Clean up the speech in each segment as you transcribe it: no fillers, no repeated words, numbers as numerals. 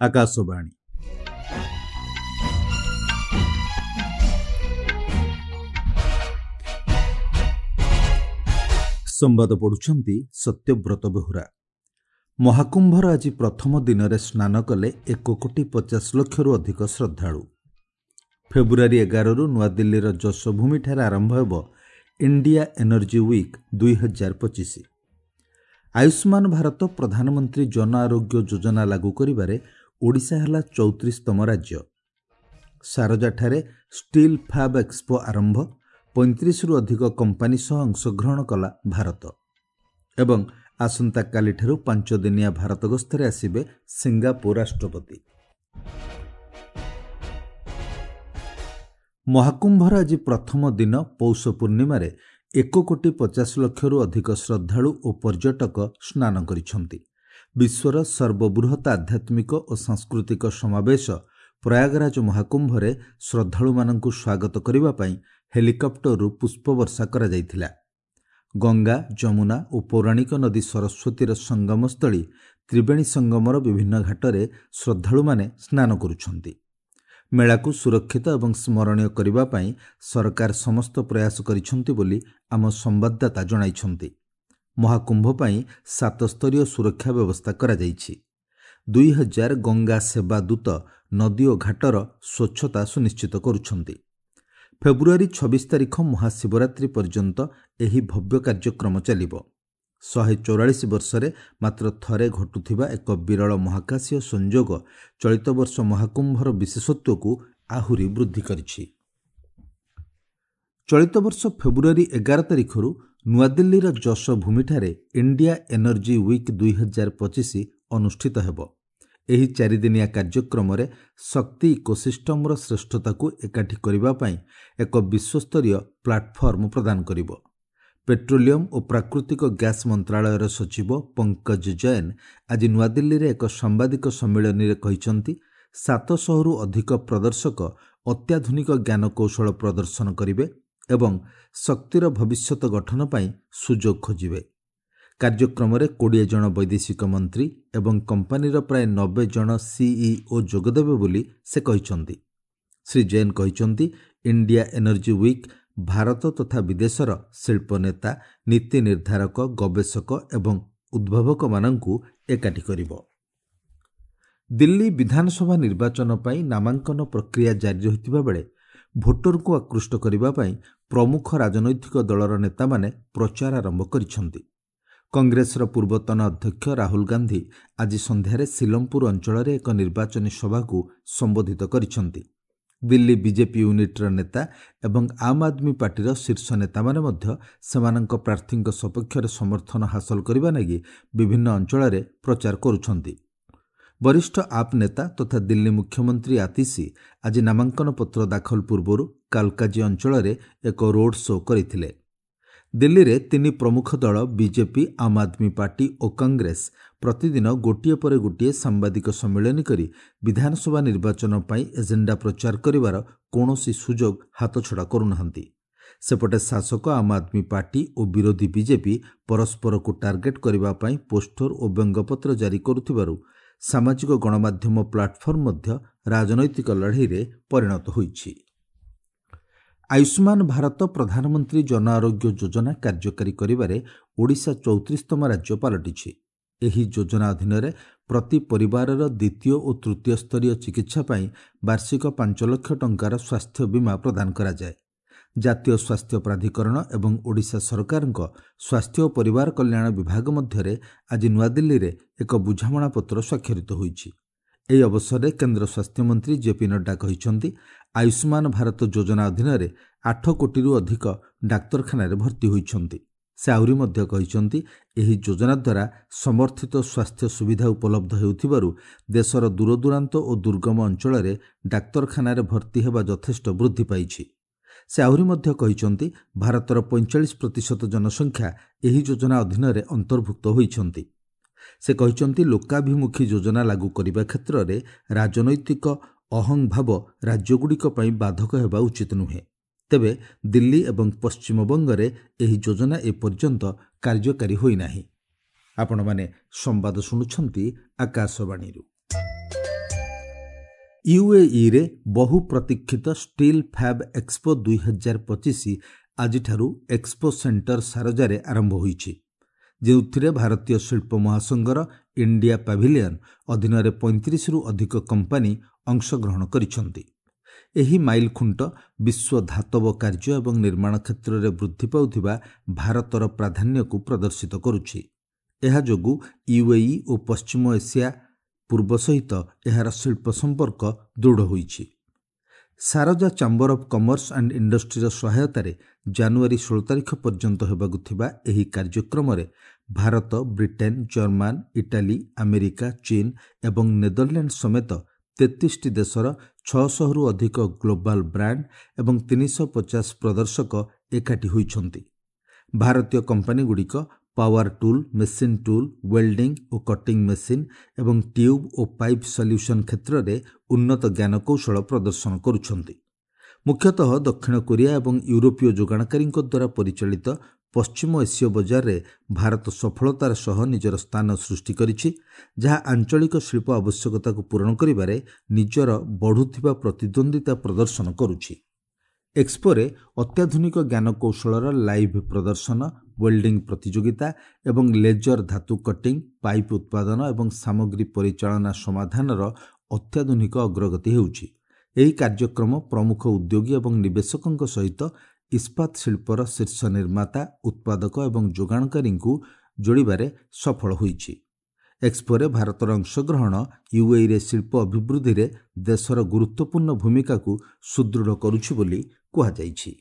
ଆକାଶବାଣୀ। ସମ୍ବାଦ ପଢୁଛନ୍ତି ସତ୍ୟବ୍ରତ ବେହୁରା। ମହାକୁମ୍ଭର ଆଜି ପ୍ରଥମ ଦିନରେ ସ୍ନାନ କଲେ 1 କୋଟି 50 ଲକ୍ଷରୁ ଅଧିକ ଶ୍ରଦ୍ଧାଳୁ। ଫେବୃଆରୀ 11ରୁ ନୂଆଦିଲ୍ଲୀର ଯଶୋଭୂମିଠାରେ ଆରମ୍ଭ ହେବ India Energy Week 2025। Ayushman Bharat ପ୍ରଧାନମନ୍ତ୍ରୀ ଜନ ଆରୋଗ୍ୟ ଯୋଜନା ଲାଗୁ କରିବାରେ ଓଡ଼ିଶା ହେଲା 34ତମ ରାଜ୍ୟ। ସାରଜାଠାରେ ଷ୍ଟିଲ୍ ଫାବ୍ ଏକ୍ସପୋ ଆରମ୍ଭ, 35ରୁ ଅଧିକ କମ୍ପାନୀ ସହ ଅଂଶଗ୍ରହଣ କଲା ଭାରତ। ଏବଂ ଆସନ୍ତାକାଲିଠାରୁ 5 ଦିନିଆ ଭାରତ ଗସ୍ତରେ ଆସିବେ ସିଙ୍ଗାପୁର ରାଷ୍ଟ୍ରପତି। ମହାକୁମ୍ଭର ଆଜି ପ୍ରଥମ ଦିନ ପୌଷ ପୂର୍ଣ୍ଣିମାରେ 1 କୋଟି 50 ଲକ୍ଷରୁ ଅଧିକ ଶ୍ରଦ୍ଧାଳୁ ଓ ପର୍ଯ୍ୟଟକ ସ୍ନାନ କରିଛନ୍ତି। ବିଶ୍ୱର ସର୍ବବୃହତ ଆଧ୍ୟାତ୍ମିକ ଓ ସାଂସ୍କୃତିକ ସମାବେଶ ପ୍ରୟାଗରାଜ ମହାକୁମ୍ଭରେ ଶ୍ରଦ୍ଧାଳୁମାନଙ୍କୁ ସ୍ୱାଗତ କରିବା ପାଇଁ ହେଲିକପ୍ଟରରୁ ପୁଷ୍ପବର୍ଷା କରାଯାଇଥିଲା। ଗଙ୍ଗା, ଯମୁନା ଓ ପୌରାଣିକ ନଦୀ ସରସ୍ୱତୀର ସଙ୍ଗମସ୍ଥଳୀ ତ୍ରିବେଣୀ ସଙ୍ଗମର ବିଭିନ୍ନ ଘାଟରେ ଶ୍ରଦ୍ଧାଳୁମାନେ ସ୍ନାନ କରୁଛନ୍ତି। ମେଳାକୁ ସୁରକ୍ଷିତ ଏବଂ ସ୍ମରଣୀୟ କରିବା ପାଇଁ ସରକାର ସମସ୍ତ ପ୍ରୟାସ କରିଛନ୍ତି ବୋଲି ଆମ ସମ୍ବାଦଦାତା ଜଣାଇଛନ୍ତି। ମହାକୁମ୍ଭ ପାଇଁ ସାତସ୍ତରୀୟ ସୁରକ୍ଷା ବ୍ୟବସ୍ଥା କରାଯାଇଛି। 2000 ଗଙ୍ଗା ସେବା ଦୂତ ନଦୀ ଓ ଘାଟର ସ୍ୱଚ୍ଛତା ସୁନିଶ୍ଚିତ କରୁଛନ୍ତି। ଫେବୃଆରୀ 26 ତାରିଖ ମହାଶିବରାତ୍ରି ପର୍ଯ୍ୟନ୍ତ ଏହି ଭବ୍ୟ କାର୍ଯ୍ୟକ୍ରମ ଚାଲିବ। 144 ବର୍ଷରେ ମାତ୍ର ଥରେ ଘଟୁଥିବା ଏକ ବିରଳ ମହାକାଶୀୟ ସଂଯୋଗ ଚଳିତ ବର୍ଷ ମହାକୁମ୍ଭର ବିଶେଷତ୍ୱକୁ ଆହୁରି ବୃଦ୍ଧି କରିଛି। ଚଳିତ ବର୍ଷ ଫେବୃଆରୀ 11 ତାରିଖରୁ ନୂଆଦିଲ୍ଲୀର ଯଶୋଭୂମିଠାରେ ଇଣ୍ଡିଆ ଏନର୍ଜି ୱିକ୍ 2025 ଅନୁଷ୍ଠିତ ହେବ। ଏହି ଚାରିଦିନିଆ କାର୍ଯ୍ୟକ୍ରମରେ ଶକ୍ତି ଇକୋସିଷ୍ଟମର ଶ୍ରେଷ୍ଠତାକୁ ଏକାଠି କରିବା ପାଇଁ ଏକ ବିଶ୍ୱସ୍ତରୀୟ ପ୍ଲାଟଫର୍ମ ପ୍ରଦାନ କରିବ। ପେଟ୍ରୋଲିୟମ ଓ ପ୍ରାକୃତିକ ଗ୍ୟାସ୍ ମନ୍ତ୍ରଣାଳୟର ସଚିବ ପଙ୍କଜ ଜୈନ ଆଜି ନୂଆଦିଲ୍ଲୀରେ ଏକ ସାମ୍ବାଦିକ ସମ୍ମିଳନୀରେ କହିଛନ୍ତି, 700ରୁ ଅଧିକ ପ୍ରଦର୍ଶକ ଅତ୍ୟାଧୁନିକ ଜ୍ଞାନକୌଶଳ ପ୍ରଦର୍ଶନ କରିବେ ଏବଂ ଶକ୍ତିର ଭବିଷ୍ୟତ ଗଠନ ପାଇଁ ସୁଯୋଗ ଖୋଜିବେ। କାର୍ଯ୍ୟକ୍ରମରେ 20 ଜଣ ବୈଦେଶିକ ମନ୍ତ୍ରୀ ଏବଂ କମ୍ପାନୀର ପ୍ରାୟ 90 ଜଣ ସିଇଓ ଯୋଗଦେବେ ବୋଲି ସେ କହିଛନ୍ତି। ଶ୍ରୀ ଜୈନ କହିଛନ୍ତି, ଇଣ୍ଡିଆ ଏନର୍ଜି ୱିକ୍ ଭାରତ ତଥା ବିଦେଶର ଶିଳ୍ପ ନେତା, ନୀତି ନିର୍ଦ୍ଧାରକ, ଗବେଷକ ଏବଂ ଉଦ୍ଭାବକମାନଙ୍କୁ ଏକାଠି କରିବ। ଦିଲ୍ଲୀ ବିଧାନସଭା ନିର୍ବାଚନ ପାଇଁ ନାମାଙ୍କନ ପ୍ରକ୍ରିୟା ଜାରି ରହିଥିବା ବେଳେ ଭୋଟରଙ୍କୁ ଆକୃଷ୍ଟ କରିବା ପାଇଁ ପ୍ରମୁଖ ରାଜନୈତିକ ଦଳର ନେତାମାନେ ପ୍ରଚାର ଆରମ୍ଭ କରିଛନ୍ତି। କଂଗ୍ରେସର ପୂର୍ବତନ ଅଧ୍ୟକ୍ଷ ରାହୁଲ ଗାନ୍ଧୀ ଆଜି ସନ୍ଧ୍ୟାରେ ସିଲମପୁର ଅଞ୍ଚଳରେ ଏକ ନିର୍ବାଚନୀ ସଭାକୁ ସମ୍ବୋଧିତ କରିଛନ୍ତି। ଦିଲ୍ଲୀ ବିଜେପି ୟୁନିଟ୍ର ନେତା ଏବଂ ଆମ୍ ଆଦମୀ ପାର୍ଟିର ଶୀର୍ଷ ନେତାମାନେ ମଧ୍ୟ ସେମାନଙ୍କ ପ୍ରାର୍ଥୀଙ୍କ ସପକ୍ଷରେ ସମର୍ଥନ ହାସଲ କରିବା ଲାଗି ବିଭିନ୍ନ ଅଞ୍ଚଳରେ ପ୍ରଚାର କରୁଛନ୍ତି। ବରିଷ୍ଠ ଆପ୍ ନେତା ତଥା ଦିଲ୍ଲୀ ମୁଖ୍ୟମନ୍ତ୍ରୀ ଆତିଶୀ ଆଜି ନାମାଙ୍କନ ପତ୍ର ଦାଖଲ ପୂର୍ବରୁ କାଲକାଜୀ ଅଞ୍ଚଳରେ ଏକ ରୋଡ୍ ଶୋ କରିଥିଲେ। ଦିଲ୍ଲୀରେ ତିନି ପ୍ରମୁଖ ଦଳ ବିଜେପି, ଆମ୍ ଆଦମୀ ପାର୍ଟି ଓ କଂଗ୍ରେସ ପ୍ରତିଦିନ ଗୋଟିଏ ପରେ ଗୋଟିଏ ସାମ୍ବାଦିକ ସମ୍ମିଳନୀ କରି ବିଧାନସଭା ନିର୍ବାଚନ ପାଇଁ ଏଜେଣ୍ଡା ପ୍ରଚାର କରିବାର କୌଣସି ସୁଯୋଗ ହାତଛଡ଼ା କରୁନାହାନ୍ତି। ସେପଟେ ଶାସକ ଆମ୍ ଆଦମୀ ପାର୍ଟି ଓ ବିରୋଧୀ ବିଜେପି ପରସ୍ପରକୁ ଟାର୍ଗେଟ୍ କରିବା ପାଇଁ ପୋଷ୍ଟର ଓ ବ୍ୟଙ୍ଗପତ୍ର ଜାରି କରୁଥିବାରୁ ସାମାଜିକ ଗଣମାଧ୍ୟମ ପ୍ଲାଟଫର୍ମ ମଧ୍ୟ ରାଜନୈତିକ ଲଢ଼େଇରେ ପରିଣତ ହୋଇଛି। ଆୟୁଷ୍ମାନ ଭାରତ ପ୍ରଧାନମନ୍ତ୍ରୀ ଜନ ଆରୋଗ୍ୟ ଯୋଜନା କାର୍ଯ୍ୟକାରୀ କରିବାରେ ଓଡ଼ିଶା 34ତମ ରାଜ୍ୟ ପାଲଟିଛି। ଏହି ଯୋଜନା ଅଧୀନରେ ପ୍ରତି ପରିବାରର ଦ୍ୱିତୀୟ ଓ ତୃତୀୟ ସ୍ତରୀୟ ଚିକିତ୍ସା ପାଇଁ ବାର୍ଷିକ 5 ଲକ୍ଷ ଟଙ୍କାର ସ୍ୱାସ୍ଥ୍ୟ ବୀମା ପ୍ରଦାନ କରାଯାଏ। ଜାତୀୟ ସ୍ୱାସ୍ଥ୍ୟ ପ୍ରାଧିକରଣ ଏବଂ ଓଡ଼ିଶା ସରକାରଙ୍କ ସ୍ୱାସ୍ଥ୍ୟ ଓ ପରିବାର କଲ୍ୟାଣ ବିଭାଗ ମଧ୍ୟରେ ଆଜି ନୂଆଦିଲ୍ଲୀରେ ଏକ ବୁଝାମଣାପତ୍ର ସ୍ୱାକ୍ଷରିତ ହୋଇଛି। ଏହି ଅବସରରେ କେନ୍ଦ୍ର ସ୍ୱାସ୍ଥ୍ୟମନ୍ତ୍ରୀ ଜେପି ନଡ୍ଡା କହିଛନ୍ତି, ଆୟୁଷ୍ମାନ ଭାରତ ଯୋଜନା ଅଧୀନରେ 8 କୋଟିରୁ ଅଧିକ ଡାକ୍ତରଖାନାରେ ଭର୍ତ୍ତି ହୋଇଛନ୍ତି। ସେ ଆହୁରି ମଧ୍ୟ କହିଛନ୍ତି, ଏହି ଯୋଜନା ଦ୍ୱାରା ସମର୍ଥିତ ସ୍ୱାସ୍ଥ୍ୟ ସୁବିଧା ଉପଲବ୍ଧ ହେଉଥିବାରୁ ଦେଶର ଦୂରଦୂରାନ୍ତ ଓ ଦୁର୍ଗମ ଅଞ୍ଚଳରେ ଡାକ୍ତରଖାନାରେ ଭର୍ତ୍ତି ହେବା ଯଥେଷ୍ଟ ବୃଦ୍ଧି ପାଇଛି। ସେ ଆହୁରି ମଧ୍ୟ କହିଛନ୍ତି, ଭାରତର 45% ଜନସଂଖ୍ୟା ଏହି ଯୋଜନା ଅଧୀନରେ ଅନ୍ତର୍ଭୁକ୍ତ ହୋଇଛନ୍ତି। ସେ କହିଛନ୍ତି, ଲୋକାଭିମୁଖୀ ଯୋଜନା ଲାଗୁ କରିବା କ୍ଷେତ୍ରରେ ରାଜନୈତିକ ଅହଂଭାବ ରାଜ୍ୟଗୁଡ଼ିକ ପାଇଁ ବାଧକ ହେବା ଉଚିତ ନୁହେଁ। ତେବେ ଦିଲ୍ଲୀ ଏବଂ ପଶ୍ଚିମବଙ୍ଗରେ ଏହି ଯୋଜନା ଏପର୍ଯ୍ୟନ୍ତ କାର୍ଯ୍ୟକାରୀ ହୋଇନାହିଁ। ଆପଣମାନେ ସମ୍ବାଦ ଶୁଣୁଛନ୍ତି ଆକାଶବାଣୀରୁ। ୟୁଏଇରେ ବହୁ ପ୍ରତୀକ୍ଷିତ ଷ୍ଟିଲ୍ ଫ୍ୟାବ୍ ଏକ୍ସପୋ 2025 ଆଜିଠାରୁ ଏକ୍ସପୋ ସେଣ୍ଟର ସାରଜାରେ ଆରମ୍ଭ ହୋଇଛି, ଯେଉଁଥିରେ ଭାରତୀୟ ଶିଳ୍ପ ମହାସଂଘର ଇଣ୍ଡିଆ ପାଭିଲିୟନ ଅଧୀନରେ 35ରୁ ଅଧିକ କମ୍ପାନୀ ଅଂଶଗ୍ରହଣ କରିଛନ୍ତି। ଏହି ମାଇଲଖୁଣ୍ଟ ବିଶ୍ୱ ଧାତବ କାର୍ଯ୍ୟ ଏବଂ ନିର୍ମାଣ କ୍ଷେତ୍ରରେ ବୃଦ୍ଧି ପାଉଥିବା ଭାରତର ପ୍ରାଧାନ୍ୟକୁ ପ୍ରଦର୍ଶିତ କରୁଛି। ଏହା ଯୋଗୁଁ ୟୁଏଇ ଓ ପଶ୍ଚିମ ଏସିଆ ପୂର୍ବ ସହିତ ଏହାର ଶିଳ୍ପ ସମ୍ପର୍କ ଦୃଢ଼ ହୋଇଛି। Sharjah chamber of commerce and ଇଣ୍ଡଷ୍ଟ୍ରିର ସହାୟତାରେ ଜାନୁଆରୀ 16 ତାରିଖ ପର୍ଯ୍ୟନ୍ତ ହେବାକୁ ଥିବା ଏହି କାର୍ଯ୍ୟକ୍ରମରେ Bharat, Britain, German, Italy, America, ଚୀନ ଏବଂ ନେଦରଲ୍ୟାଣ୍ଡ ସମେତ 33ଟି ଦେଶର 600ରୁ ଅଧିକ ଗ୍ଲୋବାଲ ବ୍ରାଣ୍ଡ ଏବଂ 350 ପ୍ରଦର୍ଶକ ଏକାଠି ହୋଇଛନ୍ତି। ଭାରତୀୟ କମ୍ପାନୀଗୁଡ଼ିକ power tool, machine tool, welding ଓ କଟିଂ ମେସିନ୍ ଏବଂ ଟ୍ୟୁବ୍ ଓ ପାଇପ୍ ସଲ୍ୟୁସନ୍ କ୍ଷେତ୍ରରେ ଉନ୍ନତ ଜ୍ଞାନକୌଶଳ ପ୍ରଦର୍ଶନ କରୁଛନ୍ତି। ମୁଖ୍ୟତଃ ଦକ୍ଷିଣ କୋରିଆ ଏବଂ ୟୁରୋପୀୟ ଯୋଗାଣକାରୀଙ୍କ ଦ୍ୱାରା ପରିଚାଳିତ ପଶ୍ଚିମ ଏସୀୟ ବଜାରରେ ଭାରତ ସଫଳତାର ସହ ନିଜର ସ୍ଥାନ ସୃଷ୍ଟି କରିଛି, ଯାହା ଆଞ୍ଚଳିକ ଶିଳ୍ପ ଆବଶ୍ୟକତାକୁ ପୂରଣ କରିବାରେ ନିଜର ବଢ଼ୁଥିବା ପ୍ରତିଦ୍ୱନ୍ଦ୍ୱିତା ପ୍ରଦର୍ଶନ କରୁଛି। ଏକ୍ସପୋରେ ଅତ୍ୟାଧୁନିକ ଜ୍ଞାନକୌଶଳର ଲାଇଭ୍ ପ୍ରଦର୍ଶନ, ୱେଲ୍ଡିଂ ପ୍ରତିଯୋଗିତା ଏବଂ ଲେଜର ଧାତୁ କଟିଂ, ପାଇପ୍ ଉତ୍ପାଦନ ଏବଂ ସାମଗ୍ରୀ ପରିଚାଳନା ସମାଧାନର ଅତ୍ୟାଧୁନିକ ଅଗ୍ରଗତି ହେଉଛି। ଏହି କାର୍ଯ୍ୟକ୍ରମ ପ୍ରମୁଖ ଉଦ୍ୟୋଗୀ ଏବଂ ନିବେଶକଙ୍କ ସହିତ ଇସ୍ପାତ ଶିଳ୍ପର ଶୀର୍ଷ ନିର୍ମାତା, ଉତ୍ପାଦକ ଏବଂ ଯୋଗାଣକାରୀଙ୍କୁ ଯୋଡ଼ିବାରେ ସଫଳ ହୋଇଛି। ଏକ୍ସପୋରେ ଭାରତର ଅଂଶଗ୍ରହଣ ୟୁଏଇରେ ଶିଳ୍ପ ଅଭିବୃଦ୍ଧିରେ ଦେଶର ଗୁରୁତ୍ୱପୂର୍ଣ୍ଣ ଭୂମିକାକୁ ସୁଦୃଢ଼ କରୁଛି ବୋଲି କୁହାଯାଇଛି।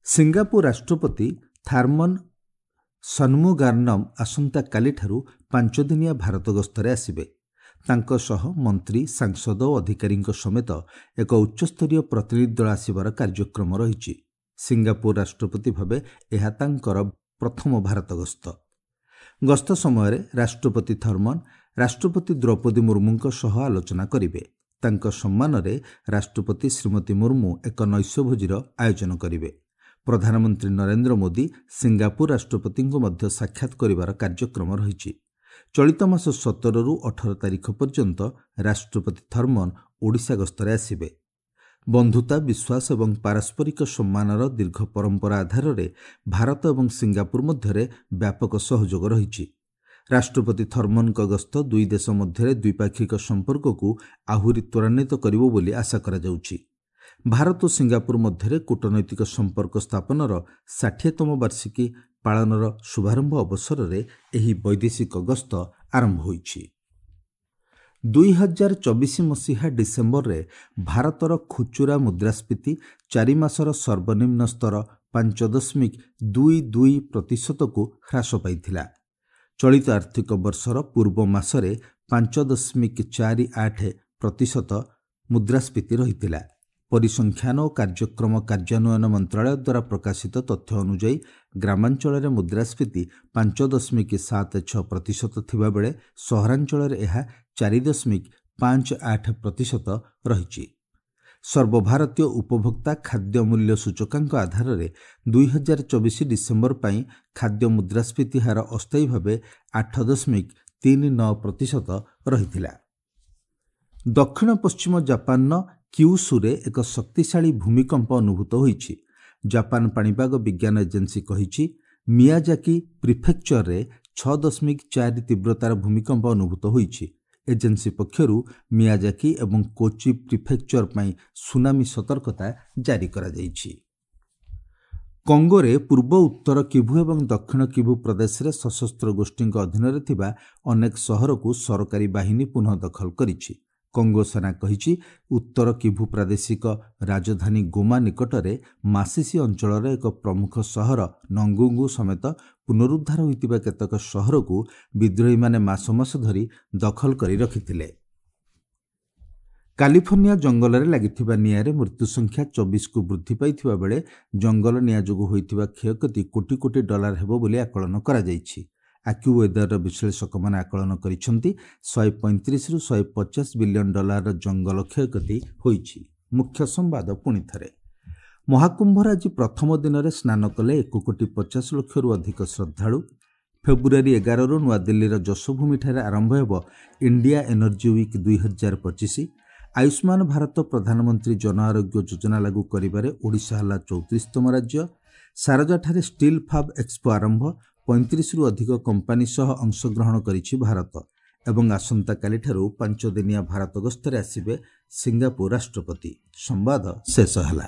ସିଙ୍ଗାପୁର ରାଷ୍ଟ୍ରପତି ଥାର୍ମନ ସନ୍ମୁଗାରନମ୍ ଆସନ୍ତାକାଲିଠାରୁ 5 ଦିନିଆ ଭାରତ ଗସ୍ତରେ ଆସିବେ। ତାଙ୍କ ସହ ମନ୍ତ୍ରୀ, ସାଂସଦ ଓ ଅଧିକାରୀଙ୍କ ସମେତ ଏକ ଉଚ୍ଚସ୍ତରୀୟ ପ୍ରତିନିଧି ଦଳ ଆସିବାର କାର୍ଯ୍ୟକ୍ରମ ରହିଛି। ସିଙ୍ଗାପୁର ରାଷ୍ଟ୍ରପତି ଭାବେ ଏହା ତାଙ୍କର ପ୍ରଥମ ଭାରତ ଗସ୍ତ। ଗସ୍ତ ସମୟରେ ରାଷ୍ଟ୍ରପତି ଥର୍ମନ ରାଷ୍ଟ୍ରପତି ଦ୍ରୌପଦୀ ମୁର୍ମୁଙ୍କ ସହ ଆଲୋଚନା କରିବେ। ତାଙ୍କ ସମ୍ମାନରେ ରାଷ୍ଟ୍ରପତି ଶ୍ରୀମତୀ ମୁର୍ମୁ ଏକ ନୈଶଭୋଜିର ଆୟୋଜନ କରିବେ। ପ୍ରଧାନମନ୍ତ୍ରୀ ନରେନ୍ଦ୍ର ମୋଦି ସିଙ୍ଗାପୁର ରାଷ୍ଟ୍ରପତିଙ୍କୁ ମଧ୍ୟ ସାକ୍ଷାତ କରିବାର କାର୍ଯ୍ୟକ୍ରମ ରହିଛି। ଚଳିତ ମାସ 17ରୁ 18 ତାରିଖ ପର୍ଯ୍ୟନ୍ତ ରାଷ୍ଟ୍ରପତି ଥର୍ମନ ଓଡ଼ିଶା ଗସ୍ତରେ ଆସିବେ। ବନ୍ଧୁତା, ବିଶ୍ୱାସ ଏବଂ ପାରସ୍ପରିକ ସମ୍ମାନର ଦୀର୍ଘ ପରମ୍ପରା ଆଧାରରେ ଭାରତ ଏବଂ ସିଙ୍ଗାପୁର ମଧ୍ୟରେ ବ୍ୟାପକ ସହଯୋଗ ରହିଛି। ରାଷ୍ଟ୍ରପତି ଥର୍ମନଙ୍କ ଗସ୍ତ ଦୁଇ ଦେଶ ମଧ୍ୟରେ ଦ୍ୱିପାକ୍ଷିକ ସମ୍ପର୍କକୁ ଆହୁରି ତ୍ୱରାନ୍ୱିତ କରିବ ବୋଲି ଆଶା କରାଯାଉଛି। ଭାରତ ଓ ସିଙ୍ଗାପୁର ମଧ୍ୟରେ କୂଟନୈତିକ ସମ୍ପର୍କ ସ୍ଥାପନର 60ତମ ବାର୍ଷିକୀ ପାଳନର ଶୁଭାରମ୍ଭ ଅବସରରେ ଏହି ବୈଦେଶିକ ଗସ୍ତ ଆରମ୍ଭ ହୋଇଛି। 2024 ମସିହା ଡିସେମ୍ବରରେ ଭାରତର ଖୁଚୁରା ମୁଦ୍ରାସ୍ଫୀତି 4 ମାସର ସର୍ବନିମ୍ନ ସ୍ତର 5.22%କୁ ହ୍ରାସ ପାଇଥିଲା। ଚଳିତ ଆର୍ଥିକ ବର୍ଷର ପୂର୍ବ ମାସରେ 5.48% ମୁଦ୍ରାସ୍ଫୀତି ରହିଥିଲା। ପରିସଂଖ୍ୟାନ ଓ କାର୍ଯ୍ୟକ୍ରମ କାର୍ଯ୍ୟାନ୍ୱୟନ ମନ୍ତ୍ରାଳୟ ଦ୍ୱାରା ପ୍ରକାଶିତ ତଥ୍ୟ ଅନୁଯାୟୀ ଗ୍ରାମାଞ୍ଚଳରେ ମୁଦ୍ରାସ୍ଫୀତି 5.76% ଥିବାବେଳେ ସହରାଞ୍ଚଳରେ ଏହା 4.58% ରହିଛି। ସର୍ବଭାରତୀୟ ଉପଭୋକ୍ତା ଖାଦ୍ୟ ମୂଲ୍ୟ ସୂଚକାଙ୍କ ଆଧାରରେ 2024 ଡିସେମ୍ବର ପାଇଁ ଖାଦ୍ୟ ମୁଦ୍ରାସ୍ଫୀତି ହାର ଅସ୍ଥାୟୀ ଭାବେ 8.39% ରହିଥିଲା। ଦକ୍ଷିଣ ପଶ୍ଚିମ ଜାପାନର କ୍ୟୁସୁରେ ଏକ ଶକ୍ତିଶାଳୀ ଭୂମିକମ୍ପ ଅନୁଭୂତ ହୋଇଛି। ଜାପାନ ପାଣିପାଗ ବିଜ୍ଞାନ ଏଜେନ୍ସି କହିଛି, ମିଆଜାକି ପ୍ରିଫେକ୍ଚରରେ 6.4 ତୀବ୍ରତାର ଭୂମିକମ୍ପ ଅନୁଭୂତ ହୋଇଛି। ଏଜେନ୍ସି ପକ୍ଷରୁ ମିଆଜାକି ଏବଂ କୋଚି ପ୍ରିଫେକ୍ଚର ପାଇଁ ସୁନାମି ସତର୍କତା ଜାରି କରାଯାଇଛି। କଙ୍ଗୋରେ ପୂର୍ବ ଉତ୍ତର କିଭୁ ଏବଂ ଦକ୍ଷିଣ କିଭୁ ପ୍ରଦେଶରେ ସଶସ୍ତ୍ର ଗୋଷ୍ଠୀଙ୍କ ଅଧୀନରେ ଥିବା ଅନେକ ସହରକୁ ସରକାରୀ ବାହିନୀ ପୁନଃ ଦଖଲ କରିଛି। କଙ୍ଗୋ ସେନା କହିଛି, ଉତ୍ତର କିଭୁ ପ୍ରାଦେଶିକ ରାଜଧାନୀ ଗୋମା ନିକଟରେ ମାସିସି ଅଞ୍ଚଳର ଏକ ପ୍ରମୁଖ ସହର ନଙ୍ଗୁଙ୍ଗୁ ସମେତ ପୁନରୁଦ୍ଧାର ହୋଇଥିବା କେତେକ ସହରକୁ ବିଦ୍ରୋହୀମାନେ ମାସ ମାସ ଧରି ଦଖଲ କରି ରଖିଥିଲେ। କାଲିଫର୍ଣ୍ଣିଆ ଜଙ୍ଗଲରେ ଲାଗିଥିବା ନିଆଁରେ ମୃତ୍ୟୁ ସଂଖ୍ୟା 24କୁ ବୃଦ୍ଧି ପାଇଥିବା ବେଳେ ଜଙ୍ଗଲ ନିଆଁ ଯୋଗୁଁ ହୋଇଥିବା କ୍ଷୟକ୍ଷତି କୋଟି କୋଟି ଡଲାର ହେବ ବୋଲି ଆକଳନ କରାଯାଇଛି। ଆକ୍ୟୁୱେଦରର ବିଶ୍ଳେଷକମାନେ ଆକଳନ କରିଛନ୍ତି, 135ରୁ 150 ବିଲିୟନ ଡଲାରର ଜଙ୍ଗଲ କ୍ଷୟକ୍ଷତି ହୋଇଛି। ମୁଖ୍ୟ ସମ୍ବାଦ ପୁଣି ଥରେ। ମହାକୁମ୍ଭର ଆଜି ପ୍ରଥମ ଦିନରେ ସ୍ନାନ କଲେ 1 କୋଟି 50 ଲକ୍ଷରୁ ଅଧିକ ଶ୍ରଦ୍ଧାଳୁ। ଫେବୃଆରୀ 11ରୁ ନୂଆଦିଲ୍ଲୀର ଯଶୋଭୂମିଠାରେ ଆରମ୍ଭ ହେବ India Energy Week 2025। Ayushman Bharat ପ୍ରଧାନମନ୍ତ୍ରୀ ଜନ ଆରୋଗ୍ୟ ଯୋଜନା ଲାଗୁ କରିବାରେ ଓଡ଼ିଶା ହେଲା 34ତମ ରାଜ୍ୟ। ସାରଜାଠାରେ ଷ୍ଟିଲ୍ ଫାବ୍ ଏକ୍ସପୋ ଆରମ୍ଭ, 35ରୁ ଅଧିକ କମ୍ପାନୀ ସହ ଅଂଶଗ୍ରହଣ କରିଛି ଭାରତ। ଏବଂ ଆସନ୍ତାକାଲିଠାରୁ 5 ଦିନିଆ ଭାରତ ଗସ୍ତରେ ଆସିବେ ସିଙ୍ଗାପୁର ରାଷ୍ଟ୍ରପତି। ସମ୍ବାଦ ଶେଷ ହେଲା।